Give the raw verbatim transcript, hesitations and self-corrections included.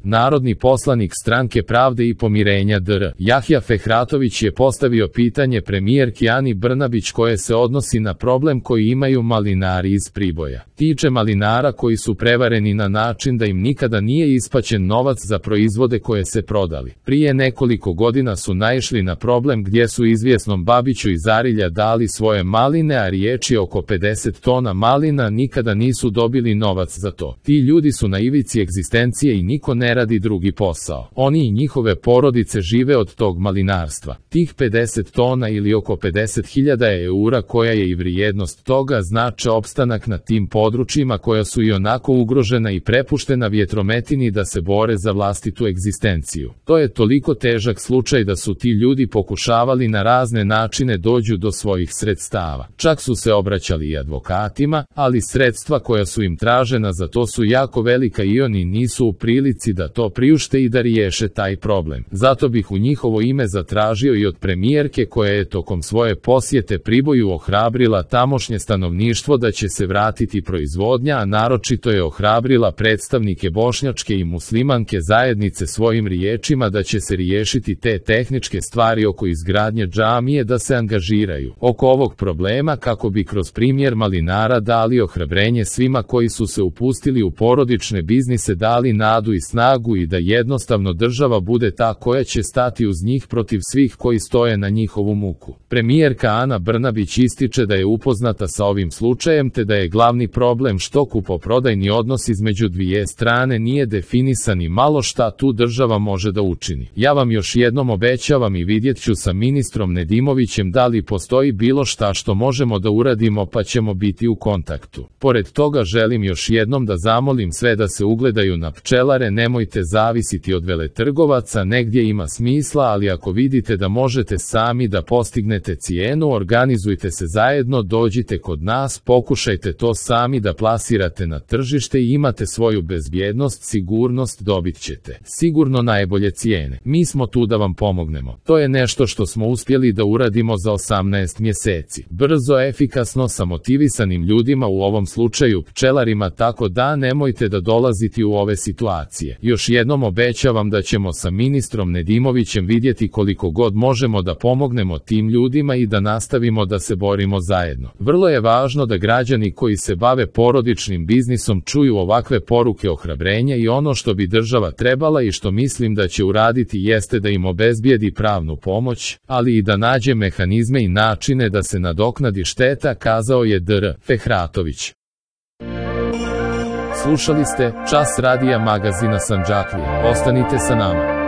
Narodni poslanik Stranke pravde i pomirenja dr Jahja Fehratović je postavio pitanje premijerki Ani Brnabić koje se odnosi na problem koji imaju malinari iz Priboja. Tiče malinara koji su prevareni na način da im nikada nije isplaćen novac za proizvode koje se prodali. Prije nekoliko godina su naišli na problem gdje su izvjesnom Babiću iz Arilja dali svoje maline, a riječ je oko pedeset tona malina, nikada nisu dobili novac za to. Ti ljudi su na ivici egzistencije i niko ne radi drugi posao. Oni i njihove porodice žive od tog malinarstva. Tih pedeset tona ili oko pedeset hiljada eura koja je i vrijednost toga znače opstanak na tim područjima koja su i onako ugrožena i prepuštena vjetrometini da se bore za vlastitu egzistenciju. To je toliko težak slučaj da su ti ljudi pokušavali na razne načine dođu do svojih sredstava. Čak su se obraćali i advokatima, ali sredstva koja su im tražena za to su jako velika i oni nisu u prilici da to priušte i da riješe taj problem. Zato bih u njihovo ime zatražio i od premijerke koja je tokom svoje posjete Priboju ohrabrila tamošnje stanovništvo da će se vratiti proizvodnja, a naročito je ohrabrila predstavnike bošnjačke i muslimanske zajednice svojim riječima da će se riješiti te tehničke stvari oko izgradnje džamije, da se angažiraju oko ovog problema kako bi kroz primjer malinara dali ohrabrenje svima koji su se upustili u porodične biznise, dali nadu i snagu i da jednostavno država bude ta koja će stati uz njih protiv svih koji stoje na njihovu muku. Premijerka Ana Brnabić ističe da je upoznata sa ovim slučajem te da je glavni problem što kupoprodajni odnos između dvije strane nije definisan i malo šta tu država može da učini. Ja vam još jednom obećavam i vidjet ću sa ministrom Nedimovićem da li postoji bilo šta što možemo da uradimo, pa ćemo biti u kontaktu. Pored toga želim još jednom da zamolim sve da se ugledaju na pčelare, nemojte zavisiti od veletrgovaca, negdje ima smisla, ali ako vidite da možete sami da postignete cijenu, organizujte se zajedno, dođite kod nas, pokušajte to sami da plasirate na tržište i imate svoju bezbjednost, sigurnost, dobit ćete sigurno najbolje cijene. Mi smo tu da vam pomognemo. To je nešto što smo uspjeli da uradimo za osamnaest mjeseci. Brzo, efikasno, sa motivisanim ljudima, u ovom slučaju pčelarima, tako da nemojte da dolaziti u ove situacije. Još jednom obećavam da ćemo sa ministrom Nedimovićem vidjeti koliko god možemo da pomognemo tim ljudima i da nastavimo da se borimo zajedno. Vrlo je važno da građani koji se bave porodičnim biznisom čuju ovakve poruke ohrabrenja i ono što bi država trebala i što mislim da će uraditi jeste da im obezbijedi pravnu pomoć, ali i da nađe mehanizme i načine da se nadoknadi šteta, kazao je dr Fehratović. Slušali ste Čas radija magazina Sandžaklija. Ostanite sa nama.